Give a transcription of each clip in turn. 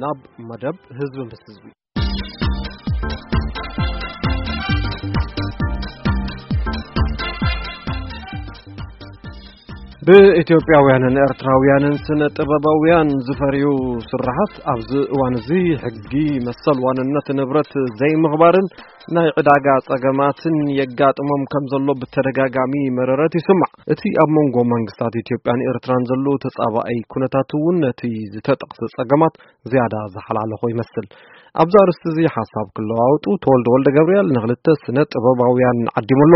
ናብ መደብ ህዝቢ ምስ ህዝቢ። ብኢትዮጵያውያንን ኤርትራውያንን ስነ ጥበባውያን ዝፈርዩ ስራሓት ኣብዚ እዋን እዚ ሕጊ መሰል ዋንነት ንብረት ዘይምኽባርን ናይ ዕዳጋ ጸገማትን የጋጥሞም ከም ዘሎ ብተደጋጋሚ መረረት ይስማዕ። እቲ ኣብ መንጎ መንግስታት ኢትዮጵያን ኤርትራን ዘሎ ተጻባኣይ ኩነታት እውን ነቲ ዝተጠቕሰ ጸገማት ዝያዳ ዝሓላለኾ ይመስል። ኣብዚ ኣርእስቲ እዚ ሓሳብ ክለዋወጡ ተወልደ ወልደ ገብርኤል ንኽልተ ስነ ጥበባውያን ዓዲሙ ኣሎ።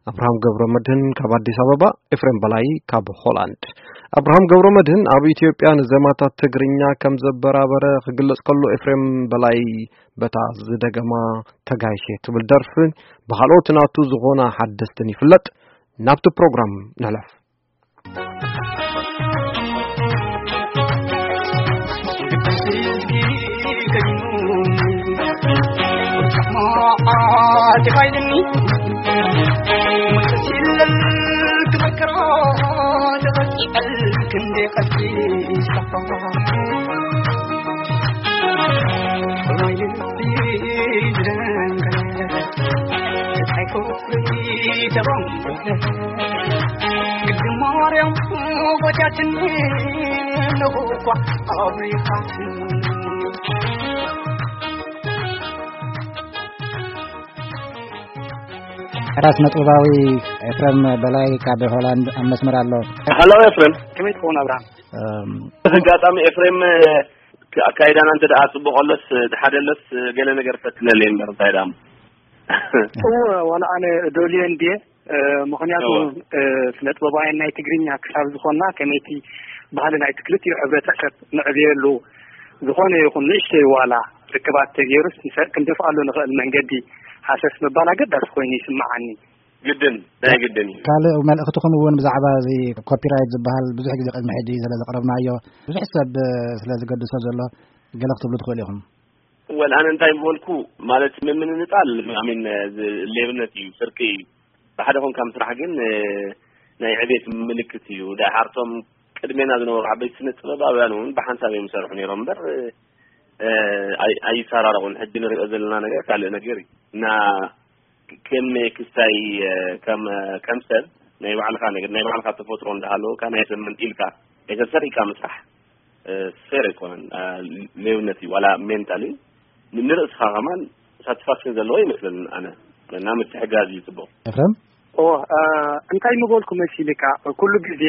ኣብርሃም ገብረ መድህን ካብ ኣዲስ ኣበባ፣ ኤፍሬም በላይ ካብ ሆላንድ። ኣብርሃም ገብረ መድህን ኣብ ኢትዮጵያ ንዜማታት ትግርኛ ከም ዘበራበረ ክግለጽ ከሎ፣ ኤፍሬም በላይ በታ ዝደገማ ተጋይሸ ትብል ደርፍን ብኻልኦት ናቱ ዝኾና ሓደስትን ይፍለጥ። ናብቲ ፕሮግራም ንሕለፍ። ራስ ነጥባዊ ኤፍረም በላይ ካብ ሆላንድ ኣብ መስመር ኣሎ። ሃሎ ኤፍሬም። ከመይ ትኸውን ኣብርሃም? እም፣ እዚ ኣጋጣሚ ኤፍሬም፣ ኣካይዳና እንተ ደኣ ጽቡቕ ኣሎስ፣ ሓደ ኣሎስ፣ ገለ ነገር ፈትነለይ እምበር እንታይ ደኣ እሞ። እወ፣ ዋላ ኣነ ደልየ እንድየ፣ እ፣ ምኽንያቱ፣ እወ። እ፣ ስነ ጥበባውያን ናይ ትግርኛ ክሳብ ዝኾንና ከመይቲ ባህሊ ናይቲ ክልቲኡ ሕብረተሰብ ንዕብየሉ ዝኾነ ይኹን ንእሽተይ ዋላ ርክባት ተገይሩስ ንሰ-፣ ክንደፍኣሉ ንኽእል መንገዲ ሃሰስ ምባል ኣገዳሲ ኮይኑ ይስምዓኒ። ግድን፣ ናይ ግድን እዩ። ካልእ መልእኽትኹም እውን ብዛዕባ እዚ ኮፒራይት ዝበሃል ብዙሕ ግዜ ቅድሚ ሕጂ ስለ ዘቕረብናዮ፣ ብዙሕ ሰብ ስለ ዝገድሶ ዘሎ ገለ ክትብሉ ትኽእሉ ኢኹም። ወል ኣነ እንታይ ምበልኩ፣ ማለት ምምንጣል፣ ኣሚን፣ ዝ-፣ ሌብነት እዩ፣ ስርቂ እዩ። ብሓደ ኮንካ ምስራሕ ግን፣ እ፣ ናይ ዕቤት ምልክት እዩ። ደሓርቶም ቅድሜና ዝነበሩ ዓበይቲ ስነ ጥበባውያን እውን ብሓንሳብ እዮም ይሰርሑ ነይሮም እምበር፣ እ፣ ኣይ-፣ ኣይሰራረቑን። ሕጂ ንሪኦ ዘለና ነገር ካልእ ነገር እዩ። እና ከም ክስታይ፣ እ፣ ከም፣ ከም ሰብ ናይ ባዕልኻ ነገር፣ ናይ ባዕልኻ ተፈጥሮ እንዳሃለወካ ናይ ሰብ መንጢልካ፣ ናይ ሰብ ሰሪቕካ ምስራሕ፣ እ፣ ፌር ኣይኮነን። እ፣ ሌብነት እዩ። ዋላ ሜንታሊ ን-፣ ንርእስኻ ከማን ሳቲስፋክሽን ዘለዎ ይመስለኒ ኣነ። እና ምትሕጋዝ እዩ ጽቡቕ። ኤፍረም? ኦ፣ እ፣ እንታይ ምበልኩ መሲልካ፣ ኩሉ ግዜ፣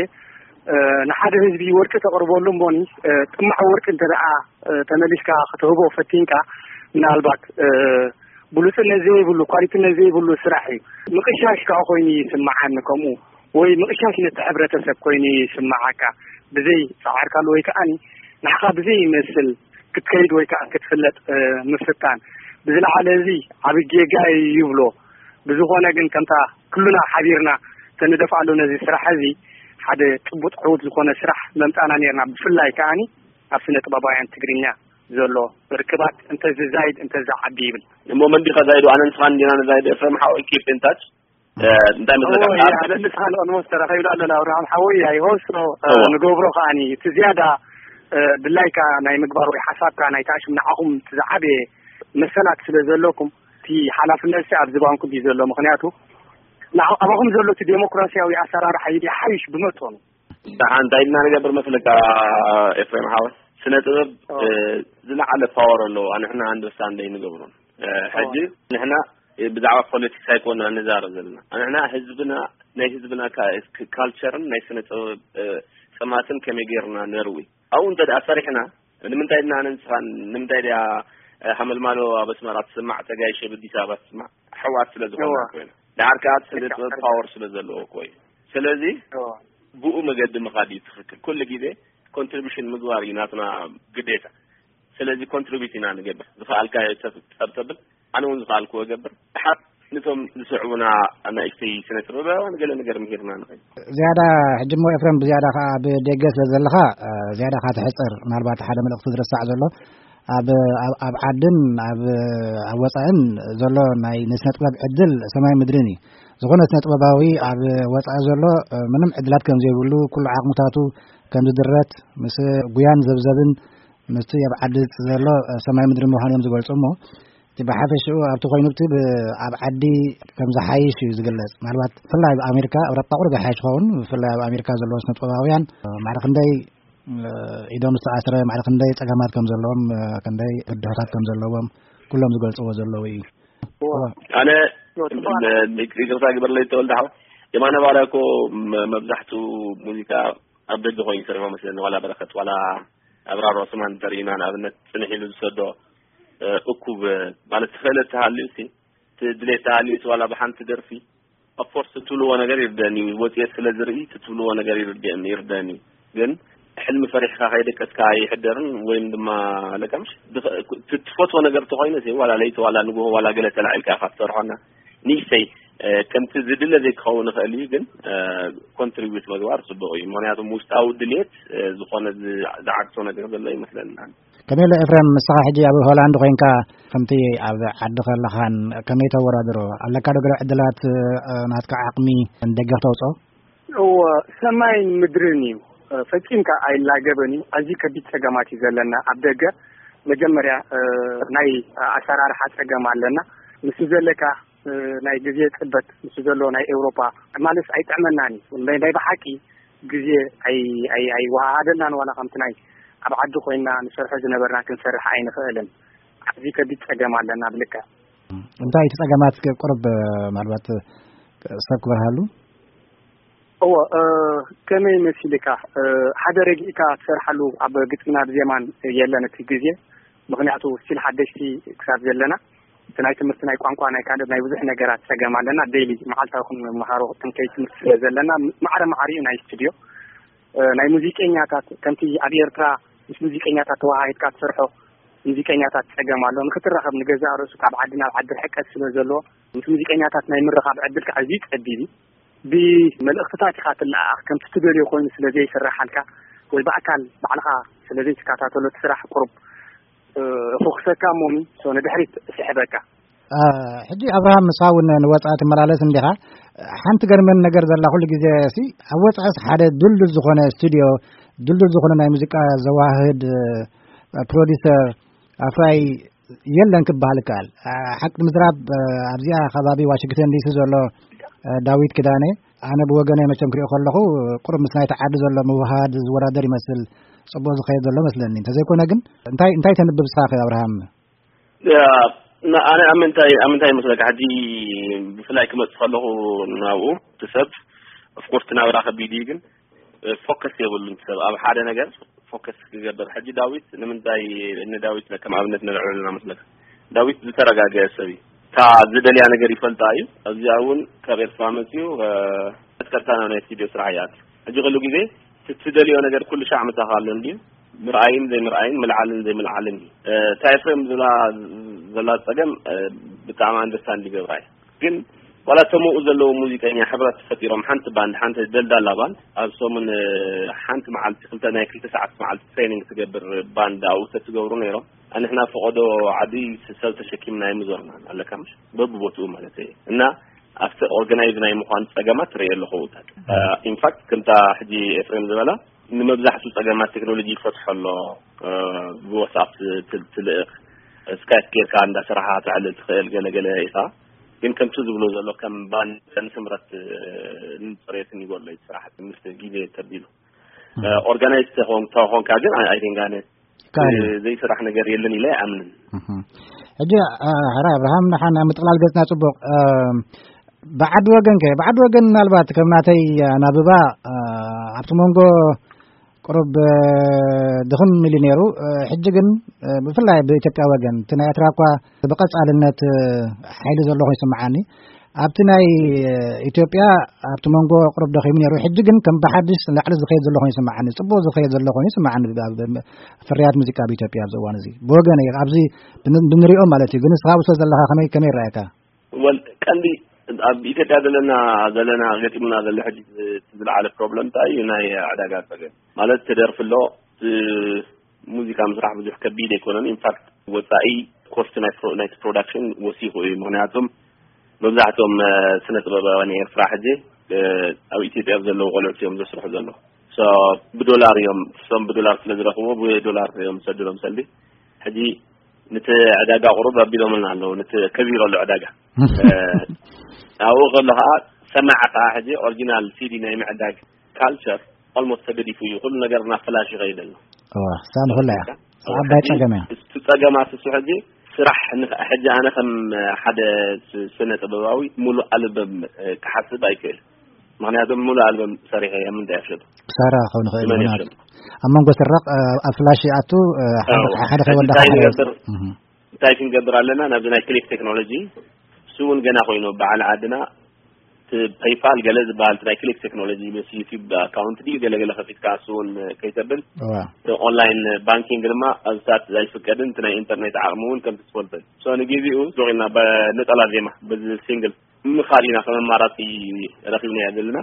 እ፣ ንሓደ ህዝቢ ወርቂ ተቕርበሉ እሞኒ፣ እ፣ ጥማዕ ወርቂ እንተ ደኣ፣ እ፣ ተመሊስካ ክትህቦ ፈቲንካ፣ ምናልባት፣ እ፣ ብሉጽነት ዘይብሉ፣ ኳሊቲነት ዘይብሉ ስራሕ እዩ። ምቕሻሽ ከኣ ኮይኑ ይስምዓኒ ከምኡ፣ ወይ ምቕሻሽ ነቲ ሕብረተሰብ ኮይኑ ይስምዓካ፣ ብዘይ ጻዕርካሉ ወይ ከኣኒ ንዓኻ ብዘይ ይመስል ክትከይድ ወይ ከኣ ክትፍለጥ፣ እ፣ ምፍታን። ብዝለዓለ እዚ ዓቢ ጌጋ እዩ ይብሎ። ብዝኾነ ግን ከምታ ኩልና ሓቢርና ተንደፍኣሉ ነዚ ስራሕ እዚ ሓደ ጭቡጥ ዕዉት ዝኾነ ስራሕ መምጻና ኔርና። ብፍላይ ከኣኒ ኣብ ስነ ጥበባውያን ትግርኛ ዘሎ ርክባት እንተ ዝዛይድ እንተ ዝዓቢ ይብል። እሞ መን ዲኻ ዛይዶ? ኣነ ንስኻን ዲና ንዛይዶ? ኤፍሬም ሓወይ፣ keep in touch። እ፣ እንታይ መስለካ? እዎ፣ ኣብ ያ፣ ስነ ንስኻን ኦልሞስት ተራኺብና ኣለና። ኣብርሃም ሓወይ፣ ኣይ ሆፕ ሶ፣ እ፣ እዎ። ንገብሮ ከኣኒ እቲ ዝያዳ፣ እ፣ ድላይካ ናይ ምግባር ወይ ሓሳብካ ናይ ታሽም ንዓኹም እቲ ዝዓበየ መሰላት ስለ ዘለኩም እቲ ሓላፍነት ሲ ኣብ ዝባንኩም እዩ ዘሎ። ምኽንያቱ ንዓ-፣ ኣባኹም ዘሎ እቲ ዴሞክራሲያዊ ኣሰራርሓ እዩ ሓይሽ ብመጠኑ። ደሓን እንታይ ኢልና ንገብር መስለካ ኤፍሬም ሓወይ? ስነ ጥበብ፣ ኦ። እ፣ ዝለዓለ ፓወር ኣለዎ። ንሕና ኣንደርስታንድ ኣይንገብሮን። እ፣ ኦ። ሕጂ ንሕና፣ እ፣ ብዛዕባ ፖለቲክስ ኣይኮና ንዛረብ ዘለና። ንሕና ህዝብና፣ ናይ ህዝብና ካ-፣ ክ-፣ ካልቸርን ናይ ስነ ጥበብ፣ እ፣ ጸማትን ከመይ ጌርና ነርዊ? ኣብኡ እንተ ደኣ ሰሪሕና፣ ንምንታይ ድና ኣነ ንስኻን፣ ንምንታይ ድያ፣ እ፣ ሃመልማሎ ኣብ ኣስመራ ትስማዕ፣ ተጋይሸ ኣብ ኣዲስ ኣበባ ትስማዕ? ኣሕዋት ስለ ዝኾንና እዋ። እኮ ኢና። ደሓር ከኣ ስነ ልክዕ፣ ጥበብ ልክዕ። ፓወር ስለ ዘለዎ እኮ እዩ። ስለዚ እዋ። ብኡ መገዲ ምኻድ እዩ ትኽክል። ኩሉ ግዜ ኮንትሪቢሽን ምግባር እዩ ናትና ግዴታ። ስለዚ ኮንትሪቢዩት ኢና ንገብር። ዝኸኣልካዮ ሰብ ጸብጸብል፣ ኣነ እውን ዝኸኣልክዎ እገብር። ደሓር ነቶም ዝስዕቡና ኣናእሽተይ ስነ ጥበባውያን ገለ ነገር ምሂርና ንኸይድ። ዝያዳ ሕጂ እሞ ኤፍሬም ብዝያዳ ከኣ ኣብ ደገ ስለ ዘለኻ፣ እ፣ ዝያዳ ከኣ ትሕጽር። ምናልባት ሓደ መልእኽቲ ዝረሳዕ ዘሎ ኣብ፣ ኣብ፣ ኣብ ዓድን ኣብ፣ ኣብ ወጻእን ዘሎ ናይ ንስነ ጥበብ ዕድል ሰማይ ምድርን እዩ። ዝኾነ ስነ ጥበባዊ ኣብ ወጻኢ ዘሎ፣ እ፣ ምንም ዕድላት ከም ዘይብሉ፣ ኩሉ ዓቕምታቱ ከም ዝድረት፣ ምስ ጉያን ዘብዘብን ምስቲ ኣብ ዓዲ ዘሎ ሰማይ ምድሪ ምዃኑ እዮም ዝገልጹ። እሞ እቲ ብሓፈሽኡ ኣብቲ ኮይኑ እቲ ብ- ኣብ ዓዲ ከም ዝሓይሽ እዩ ዝግለጽ። ምናልባት ብፍላይ ኣብ ኣሜሪካ፣ ኣውሮጳ ቁሩብ ይሓይሽ ይኸውን። ብፍላይ ኣብ ኣሜሪካ ዘለዉ ስነ ጥበባውያን ማዕረ ክንደይ ኢዶም ዝተኣስረ፣ ማዕረ ክንደይ ጸገማት ከም ዘለዎም፣ ክንደይ ብድሆታት ከም ዘለዎም ኩሎም ዝገልጽዎ ዘለዉ እዩ። ኣነ ይቅርታ ግበርለይ ተወልደ ሓው። የማነ ባርያ እኮ መ- መብዛሕትኡ ሙዚቃ ኣብ ደገ ኮይኑ ይሰርሖ መስለኒ። ዋላ በረኸት ዋላ ኣብራር ዑስማን እንተርኢና ንኣብነት ጽንሕ ኢሉ ዝሰዶ እኩብ ማለት ክእለት ተሃልዩ ሲ ድሌት ተሃልዩ ዋላ ብሓንቲ ደርፊ ኦፍኮርስ ትብልዎ ነገር ይርደኒ እዩ። ወፅኤት ስለ ዝርኢ ትብልዎ ነገር ይርደኒ ይርደኒ እዩ። ግን ሕልሚ ፈሪሕካ ከይደቀስካ ኣይሕደርን። ወይም ድማ ለቀምሽ ትፈትዎ ነገር ተኮይነ ዋላ ለይቲ ዋላ ንግሆ ዋላ ገለ ተላዒልካ ኢካ ትሰርሖና ንእሽተይ ከምቲ ዝድለ ዘይክኸውን ይኽእል እዩ። ግን ኮንትሪቢዩት ምግባር ፅቡቅ እዩ። ምክንያቱም ውሽጣዊ ድልየት ዝኾነ ዝዓግቶ ነገር ዘሎ ይመስለኒ። ከመይ ኣሎ ኤፍሬም፣ ንስኻ ሕጂ ኣብ ሆላንድ ኮይንካ ከምቲ ኣብ ዓዲ ከለኻን ከመይ ተወዳድሮ ኣለካ ዶ? ገለ ዕድላት ናትካ ዓቕሚ ንደገፍ ተውፅኦ? እወ፣ ሰማይን ምድርን እዩ። ፈፂምካ ኣይላገበን እዩ። ኣዝዩ ከቢድ ፀገማት እዩ ዘለና ኣብ ደገ። መጀመርያ ናይ ኣሰራርሓ ፀገም ኣለና። ምስ ዘለካ ናይ ግዜ ፅበት ምስ ዘሎ ናይ ኤውሮፓ ማለት ኣይጥዕመናን እዩ። ናይ ብሓቂ ግዜ ኣይወሃሃደልናን ዋላ ከምቲ ናይ ኣብ ዓዲ ኮይና ንሰርሖ ዝነበርና ክንሰርሕ ኣይንኽእልን። ኣብዚ ከቢድ ፀገም ኣለና ብልክዕ። እንታይ እቲ ፀገማት ቁርብ ምናልባት ሰብ ክበርሃሉ? እዎ፣ ከመይ መሲልካ ሓደ ረጊእካ ትሰርሓሉ ኣብ ግጥምና ብዜማን የለን እቲ ግዜ። ምክንያቱ ስቲል ሓደሽቲ ክሳብ ዘለና እቲ ናይ ትምህርቲ ናይ ቋንቋ ናይ ካልእ ናይ ብዙሕ ነገራት ፀገም ኣለና። ዴይሊ መዓልታዊ ክንመሃሮ ጥንከይ ትምህርቲ ስለ ዘለና ማዕረ ማዕሪኡ ናይ ስቱድዮ ናይ ሙዚቀኛታት ከምቲ ኣብ ኤርትራ ምስ ሙዚቀኛታት ተወሃሂድካ ትሰርሖ ሙዚቀኛታት ፀገም ኣሎ። ንክትራኸብ ንገዛእ ርእሱ ካብ ዓዲ ናብ ዓዲ ርሕቀት ስለ ዘለዎ ምስ ሙዚቀኛታት ናይ ምርኻብ ዕድልካ ኣዝዩ ፀቢብ እዩ። ብመልእኽትታት ኢኻ ትለኣኣኽ ከምቲ ትደልዮ ኮይኑ ስለ ዘይስራሓልካ ወይ ብኣካል ባዕልኻ ስለ ዘይትከታተሎ እቲ ስራሕ ቁሩብ ፉክሰካ እሞሚ ንድሕሪት ስሕበካ። ሕጂ ኣብርሃም፣ ንስኻ እውን ንወፃኢ ትመላለስ እንዲኻ። ሓንቲ ገርመን ነገር ዘላ ኩሉ ግዜ ሲ ኣብ ወፃኢስ ሓደ ድልዱል ዝኾነ ስቱድዮ፣ ድልዱል ዝኾነ ናይ ሙዚቃ ዘዋህድ ፕሮዲሰር ኣፍራይ የለን ክበሃል ይከኣል። ሓቂ ምዝራብ ኣብዚኣ ከባቢ ዋሽንግተን ዲሲ ዘሎ ዳዊት ክዳነ ኣነ ብወገነ መቸም ክሪኦ ከለኹ ቁሩብ ምስ ናይቲ ዓዲ ዘሎ ምውሃድ ዝወዳደር ይመስል። ፅቡቅ ዝኸየድ ዘሎ መስለኒ። እንተዘይኮነ ግን እንታይ እንታይ ተንብብ ስኻ ኣብርሃም? ኣነ ኣብ ምንታይ ኣብ ምንታይ ይመስለካ ሕጂ ብፍላይ ክመፅእ ከለኹ ናብኡ እቲ ሰብ ኦፍኮርስ ናብራ ከቢድ እዩ ግን ፎከስ የብሉን ሰብ ኣብ ሓደ ነገር ፎከስ ክገብር። ሕጂ ዳዊት ንምንታይ ንዳዊት ከም ኣብነት ንልዕለና መስለካ? ዳዊት ዝተረጋገአ ሰብ እዩ። እታ ዝደልያ ነገር ይፈልጣ እዩ። ኣብዚኣ እውን ካብ ኤርትራ መፅኡ ቀጥታ ናብ ናይ ስቱድዮ ስራሕ ይኣቱ። ሕጂ ኩሉ ግዜ ትደልዮ ነገር ኩሉ ሻዕ ምሳኻ ኣሎ እንድዩ። ምርኣይን ዘይምርኣይን ምልዓልን ዘይምልዓልን እዩ። እታ ኤፍሬም ዝላ ዘላ ፀገም ብጣዕሚ ኣንደርስታንድ ይገብራ እዩ። ግን ዋላ እቶም ኣብኡ ዘለዉ ሙዚቀኛ ሕብረት ፈጢሮም ሓንቲ ባንድ ሓንቲ ደልዳላ ባንድ ኣብ ሰሙን ሓንቲ መዓልቲ ክልተ ናይ ክልተ ሰዓት መዓልቲ ትሬኒንግ ትገብር ባንድ ኣብኡ ተትገብሩ ነይሮም። ንሕና ፈቐዶ ዓዲ ሰብ ተሸኪምና ኣይምዞርናን ኣለካ ምሽ በብቦትኡ ማለት እየ እና ኣብቲ ኦርጋናይዝ ናይ ምዃን ፀገማት ትርኢ ኣለኹ። ኢንፋክት ከምታ ሕጂ ኤፍሬም ዝበላ ንመብዛሕቱ ፀገማት ቴክኖሎጂ ይፈትሖ ኣሎ። ብዋትስኣፕ ትልእኽ ስካይፕ ጌርካ እንዳሰራሓ ተዕልል ትኽእል ገለገለ ኢኻ። ግን ከምቲ ዝብሎ ዘሎ ከም ባንድን ስምረት ንፅሬትን ይጎሎ እዩ ስራሕ ምስ ግዜ ተቢሉ ኦርጋናይዝ ተኾንካ ግን ኣይደንጋነ ዘይስራሕ ነገር የለን ኢለ ኣይኣምንን። ሕጂ ሕራ ኣብርሃም ንሓን ኣብ ምጥቕላል ገጽና ጽቡቕ። ብዓዲ ወገን ከ ብዓዲ ወገን ምናልባት ከም ናተይ ኣናብባ ኣብቲ መንጎ ቅሩብ ድኽም ኢሉ ነይሩ። ሕጂ ግን ብፍላይ ብኢትዮጵያ ወገን እቲ ናይ ኤርትራ እኳ ብቐጻልነት ሓይሊ ዘሎ ኮይኑ ይስምዓኒ። ኣብቲ ናይ ኢትዮጵያ ኣብቲ መንጎ ቅሩብ ደኺሙ ነይሩ። ሕጂ ግን ከም ብሓድሽ ንላዕሊ ዝኸይድ ዘሎ ኮይኑ ይስምዓኒ። ጽቡቕ ዝኸይድ ዘሎ ኮይኑ ይስምዓኒ። ፍርያት ሙዚቃ ኣብ ኢትዮጵያ ኣብዚ እዋን እዚ ብወገን ኣብዚ ብንሪኦ ማለት እዩ። ግን ንስኻ ኣብሶ ዘለኻ ከመይ ከመይ ይረኣየካ? ወል ቀንዲ ኣብ ኢትዮጵያ ዘለና ዘለና ገጢሙና ዘሎ ሕጂ ዝለዓለ ፕሮብለም እንታይ እዩ? ናይ ዕዳጋ ጸገም ማለት ትደርፊ ኣሎ ሙዚቃ ምስራሕ ብዙሕ ከቢድ ኣይኮነን። ኢንፋክት ወፃኢ ኮስት ናይ ናይቲ ፕሮዳክሽን ወሲኹ እዩ። ምክንያቱም መብዛሕትኦም ስነ ጥበባውያን ኤርትራ ሕጂ ኣብ ኢትዮጵያ ዘለዉ ቆልዑት እዮም ዘስርሑ ዘለዉ። ብዶላር እዮም፣ እሶም ብዶላር ስለ ዝረኽብዎ ብዶላር እዮም ዝሰድሎም ሰልዲ። ሕጂ ነቲ ዕዳጋ ቁሩብ ኣቢሎምልና ኣለዉ፣ ነቲ ከቢሮ ኣሎ ዕዳጋ። ኣብኡ ከሎ ከዓ ሰማዕ ከዓ ሕጂ ኦሪጂናል ሲዲ ናይ ምዕዳግ ካልቸር ኦልሞስት ተገዲፉ እዩ። ኩሉ ነገር ናብ ፍላሽ ይኸይድ ኣሎ። እዋ፣ እሳ ንኹላ እያ። እሳ ዓባይ ጸገም እያ። እቲ ጸገማት እሱ ሕጂ ስራሕ ንኸ-፣ ሕጂ ኣነ ከም ሓደ ስ-፣ ስነ ጥበባዊ ሙሉእ ኣልበም፣ እ፣ ክሓስብ ኣይክእል። ምኽንያቱም ሙሉእ ኣልበም ሰሪሐ እየ፣ ምንታይ ኣፍሸጡ? ክሳራ ክኸውን ይኽእል እዩ፣ መን ምኽንያቱ ይፍለጥ? ኣብ መንጎ ስራቕ፣ እ፣ ኣብ ፍላሽ ይኣቱ፣ እ፣ ሓደ፣ ኣዎ። ሓደ ሕጂ ከይወዳእ እንታይ ሓደ ንገብር? እህ። እንታይ ክንገብር ኣለና? ናብዚ ናይ ክሊክ ቴክኖሎጂ፣ እሱ እውን ገና ኮይኑ በዓል ዓድና፣ እቲ ፔይፓል ገለ ዝበሃል፣ እቲ ናይ ክሊክ ቴክኖሎጂ ምስ ዩቲዩብ ኣካውንት ድዩ ገለ ገለ ከፊትካ እሱ እውን ከይተብል፣ እዋ። እቲ ኦንላይን ባንኪንግ ድማ ኣብታት ኣይፍቀድን፣ እቲ ናይ ኢንተርኔት ዓቕሚ እውን ከም ትስፈልፈል። ሶ ንግዜኡ ሱቕ ኢልና በነጠላ ዜማ፣ በዚ ሲንግል ምኻድ ኢና ከም ኣማራጺ ረኺብናዮ ዘለና።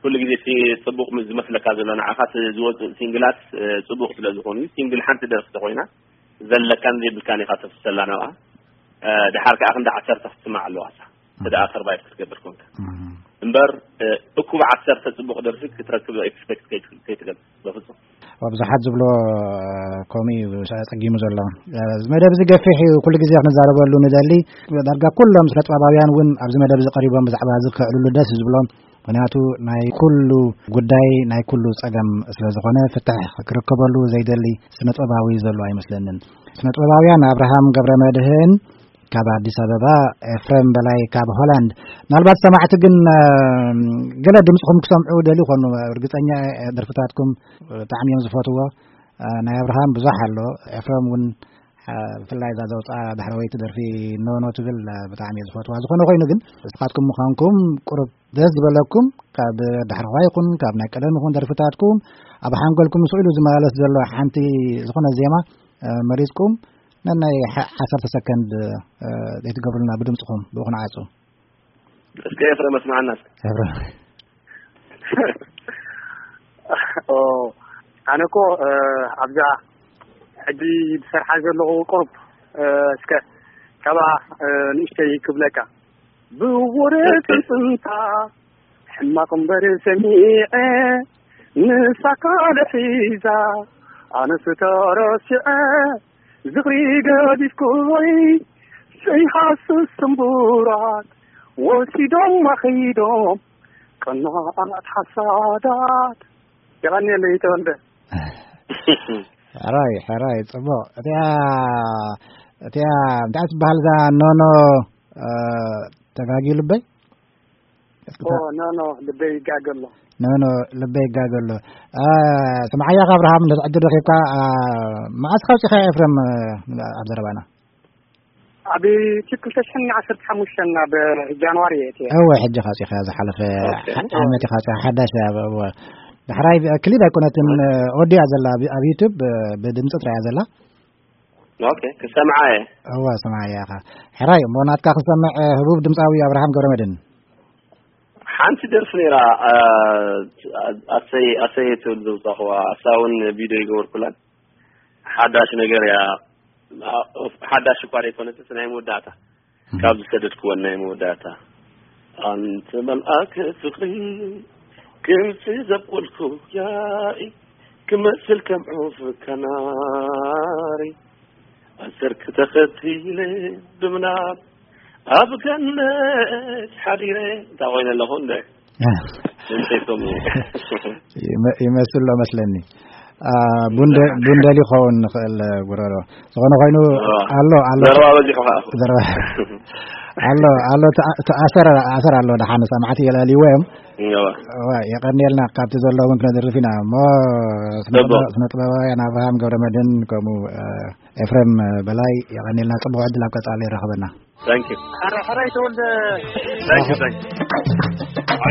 ኩሉ ግዜ እቲ ጽቡቕ ምስ ዝመስለካ ዘሎ ንዓኻ እቲ ዝወጽእ ሲንግላት፣ እ፣ ጽቡቕ ስለ ዝኾኑ እዩ። ሲንግል ሓንቲ ደርፊ ተኾይና ዘለካን ዘይብልካን ኢኻ ተፍሰላ ናብኣ። እ፣ ድሓር ከኣ ክንዲ ዓሰርተ ክትስማዕ ኣለዋ እሳ። እንተ ደኣ ሰርቫይቭ ክትገብር ኮንካ። እም። እምበር፣ እ፣ እኩብ ዓሰርተ ጽቡቕ ደርፊ ክትረክብ ኤክስፔክት ከይት-፣ ከይትገብር በፍጹም። ኣብ ብዙሓት ዝብሎ፣ እ፣ ከምኡ እዩ ጸጊሙ ዘሎ። እ፣ እዚ መደብ እዚ ገፊሕ እዩ፣ ኩሉ ግዜ ክንዛረበሉ ንደሊ። ዳርጋ ኩሎም ስነ ጥበባውያን እውን ኣብዚ መደብ እዚ ቀሪቦም ብዛዕባ እዚ ክዕልሉ ደስ እዩ ዝብሎም። ምኽንያቱ ናይ ኩሉ ጉዳይ፣ ናይ ኩሉ ጸገም ስለ ዝኾነ፣ ፍትሕ ክርከበሉ ዘይደሊ ስነ ጥበባዊ ዘሎ ኣይመስለንን። ስነ ጥበባውያን ኣብርሃም ገብረ መድህን ካብ ኣዲስ ኣበባ፣ ኤፍሬም በላይ ካብ ሆላንድ። ምናልባት ሰማዕቲ ግን፣ እ፣ ገለ ድምፅኹም ክሰምዑ ደልዩ ይኾኑ። ርግፀኛ እየ፣ ደርፍታትኩም ብጣዕሚ እዮም ዝፈትዎ። እ፣ ናይ ኣብርሃም ብዙሕ ኣሎ፣ ኤፍሬም እውን፣ እ፣ ብፍላይ እዛ ዘውፅኣ ዳሕረወይቲ ደርፊ ኖኖ ትብል፣ እ፣ ብጣዕሚ እየ ዝፈትዋ። ዝኾነ ኮይኑ ግን ንስኻትኩም ምዃንኩም ቁሩብ ደስ ዝበለኩም፣ ካብ ዳሕረዋ ይኹን ካብ ናይ ቀደም ይኹን ደርፍታትኩም ኣብ ሓንጎልኩም ስኢሉ ዝመላለስ ዘሎ ሓንቲ ዝኾነ ዜማ፣ እ፣ መሪፅኩም ነናይ ሓ-፣ ዓሰርተ ሰከንድ፣ እ፣ ዘይትገብሩልና ብድምፅኹም ብኡ ክንዓጹ። እስከ ኤፍሬም ኣስምዓና እስከ። ኤፍሬም። ኦ፣ ኣነ እኮ፣ እ፣ ኣብዛ ሕጂ ዝሰርሓ ዘለኹ ቁሩብ፣ እ፣ እስከ ካብኣ፣ እ፣ ንእሽተይ ክብለካ። ብወረ ጽንጽንታ ሕማቕ እምበር ሰሚዐ፣ ንሳ ካልእ ሒዛ ኣነስ ተረሲዐ። ዝኽሪ ገዲፍኩይ ዘይሃስስ ስምቡራት ወሲዶም ኣኸይዶም ቀናኣት ሓሳዳት። የቐንየለይ ተወልደ። ሕራይ፣ ሕራይ፣ ጽቡቕ። እቲኣ፣ እቲኣ እንታይ ትበሃል እዛ ኖኖ፣ እ፣ ተጋግዩ ልበይ? እስኪ ኦ፣ ታ- ኖ፣ ኖ፣ ልበይ ይጋገ ኣሎ። ኖ፣ ኖ፣ ልበይ ይጋገ ኣሎ። እ፣ ስምዓያ፣ ካብ ኣብርሃም እንተ ዕድል ረኺብካ፣ እ፣ መዓስ ካብ ፂኻ ኤፍሬም፣ እ፣ ኣብ ዘረባና? ኣብ ዩቲዩብ ክልተ ሽሕን ዓሰርተ ሓሙሽተን ናብ ጃንዋሪ እየ እትየ። እወ፣ ሕጂ ካጺኻ ዝሓለፈ ኦኬ። ዓ-፣ ዓመት ኢኻ ካጺኻ፣ ሓዳሽ እያ። እወ። ዳሕራይ ክሊፕ ኣይኮነትን፣ ኦኬ። ኦዲያ ዘላ ኣብ፣ ኣብ ዩቲዩብ ብድምጺ ጥራይ እያ ዘላ። ኦኬ፣ ክሰምዓ እየ። እወ፣ ሰማዕያ ኢኻ። ሕራይ፣ እሞ ናትካ ክሰምዕ፣ ህቡብ ድምጻዊ ኣብርሃም ገብረመድህን። ሓንቲ ደርፊ ነይራ፣ ኣ-፣ ኣሰይ፣ ኣሰይ ትብል ዘውጻኽዋ፣ እሳ እውን ቪድዮ ይገበርኩላን። ሓዳሽ ነገር እያ። ሓዳሽ እኳ ዘይኮነትስ ናይ መወዳእታ። እም። ካብ ዝሰደድክወን ናይ መወዳእታ። ኣንተ መልኣክ ፍቕሪ፣ ክምሲ ዘብቆልኩ ያኢ፣ ክመስል ከም ዑፍ ከናሪ፣ ኣሰርክ ተኸቲለ ብምናብ ኣብ ገነት ሓዲረ። እንታይ ኮይነ ኣለኹ እንደ? ድምፀይ ከምኡ። ይመ-፣ ይመስል ሎ መስለኒ። አ፣ ቡንደ-፣ ቡንደል ይኸውን ንኽእል ጉረሮ። ዝኾነ ኮይኑ፣ አ፣ ኣሎ፣ ኣሎ። ዘረባ በዚሑ ኸዓ። ዘረባ። ኣሎ፣ ኣሎ፣ ተኣ-፣ ተኣሰረ፣ ኣሰር ኣሎ። ደሓን ሰማዕቲ የላልይዎ እዮም። እዋ። እዋ፣ የቐንየልና። ካብቲ ዘሎ እውን ክነድርፍ ኢና። እሞ ስነ ጽቡቕ። ጥበ-፣ ስነ ጥበባውያን ኣብርሃም ገብረመድህን ከምኡ፣ አ፣ ኤፍሬም በላይ የቐንየልና። ጽቡቕ ዕድል ኣብ ቀጻሊ ይረኸበና። Thank you። ሕራይ ተወልደ። Thank you, thank you።